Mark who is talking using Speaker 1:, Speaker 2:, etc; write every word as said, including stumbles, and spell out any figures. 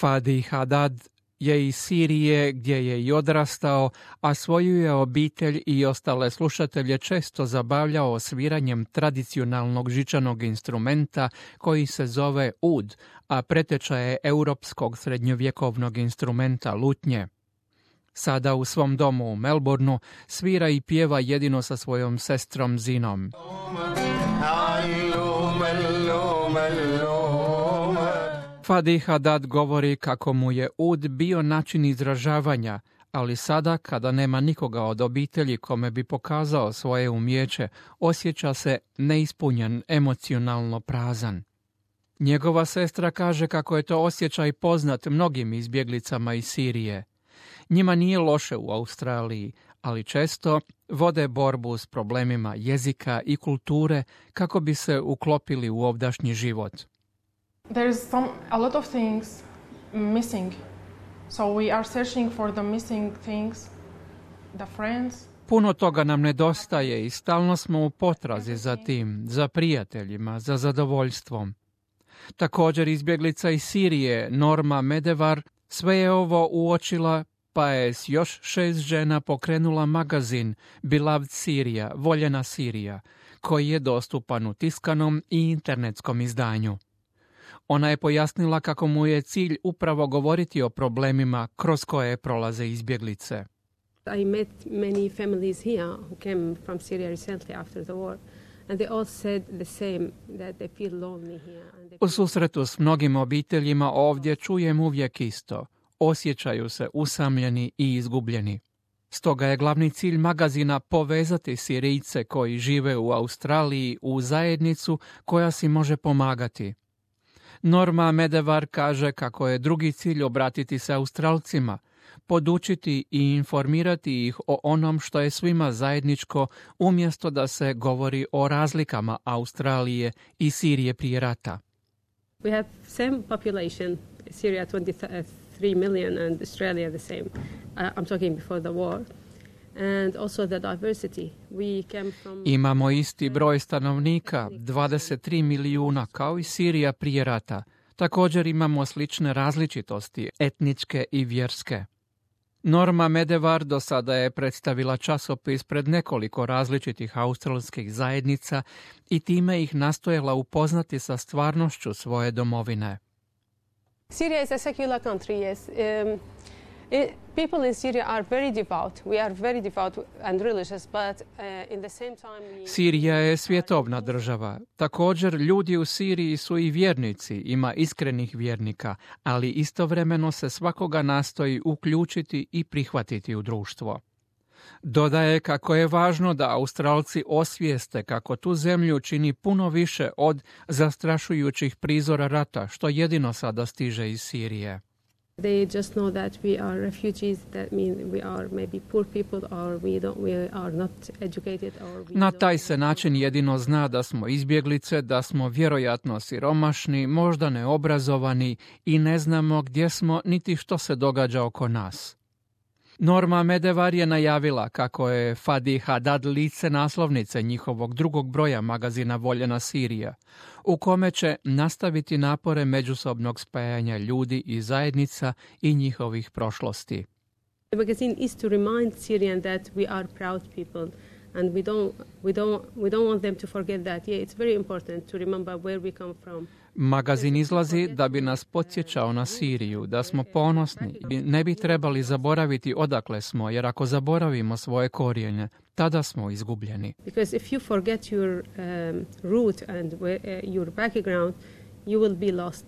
Speaker 1: Fadi Haddad je iz Sirije gdje je i odrastao, a svoju je obitelj i ostale slušatelje često zabavljao sviranjem tradicionalnog žičanog instrumenta koji se zove ud, a preteča je europskog srednjovjekovnog instrumenta lutnje. Sada u svom domu u Melbourneu svira i pjeva jedino sa svojom sestrom Zinom. Fadi Haddad govori kako mu je ud bio način izražavanja, ali sada, kada nema nikoga od obitelji kome bi pokazao svoje umijeće, osjeća se neispunjen, emocionalno prazan. Njegova sestra kaže kako je to osjećaj poznat mnogim izbjeglicama iz Sirije. Njima nije loše u Australiji, ali često vode borbu s problemima jezika i kulture kako bi se uklopili u ovdašnji život.
Speaker 2: There's some a lot of things missing. So we are searching for the missing things, the friends.
Speaker 1: Puno toga nam nedostaje i stalno smo u potrazi za tim, za prijateljima, za zadovoljstvom. Također izbjeglica iz Sirije, Norma Medevar, sve je ovo uočila, pa je s još šest žena pokrenula magazin Beloved Syria, Voljena Sirija, koji je dostupan u tiskanom i internetskom izdanju. Ona je pojasnila kako mu je cilj upravo govoriti o problemima kroz koje prolaze izbjeglice.
Speaker 3: I met many families here who came from Syria recently after the war, and they all said the same, that they feel lonely here. And they...
Speaker 1: U susretu s mnogim obiteljima ovdje čujem uvijek isto. Osjećaju se usamljeni i izgubljeni. Stoga je glavni cilj magazina povezati Sirijce koji žive u Australiji u zajednicu koja si može pomagati. Norma Medevar kaže kako je drugi cilj obratiti se Australcima, podučiti i informirati ih o onom što je svima zajedničko, umjesto da se govori o razlikama Australije i Sirije prije rata.
Speaker 3: We have same population, Syria twenty-three million and Australia the same. Uh, I'm talking before the war. And also the diversity. We came from...
Speaker 1: Imamo isti broj stanovnika, dvadeset tri milijuna, kao i Sirija prije rata. Također imamo slične različitosti, etničke i vjerske. Norma Medevar do sada je predstavila časopis pred nekoliko različitih australskih zajednica i time ih nastojala upoznati sa stvarnošću svoje domovine.
Speaker 3: Syria is a secular country, yes. Um, it, people in Syria are very devout. We are very devout and religious, but uh, in the same time... We...
Speaker 1: Sirija je svjetovna država. Također, ljudi u Siriji su i vjernici, ima iskrenih vjernika, ali istovremeno se svakoga nastoji uključiti i prihvatiti u društvo. Dodaje kako je važno da Australci osvijeste kako tu zemlju čini puno više od zastrašujućih prizora rata, što jedino sada stiže iz Sirije.
Speaker 3: They just know that we are refugees, that mean we are maybe poor people or we don't we are not educated or we
Speaker 1: Na taj se način jedino zna da smo izbjeglice, da smo vjerojatno siromašni, možda neobrazovani i ne znamo gdje smo niti što se događa oko nas. Norma Medevar je najavila kako je Fadi Haddad lice naslovnice njihovog drugog broja magazina Voljena Sirija, u kome će nastaviti napore međusobnog spajanja ljudi i zajednica i njihovih prošlosti.
Speaker 3: The magazine is to remind Syrians that we are proud people and we don't we don't we don't want them to forget that. Yeah, it's very important to remember where we come from.
Speaker 1: Magazin izlazi da bi nas podsjećao na Siriju, da smo ponosni i ne bi trebali zaboraviti odakle smo, jer ako zaboravimo svoje korijene, tada smo izgubljeni.
Speaker 3: Because if you forget your um, root and where, uh, your background, you will be lost.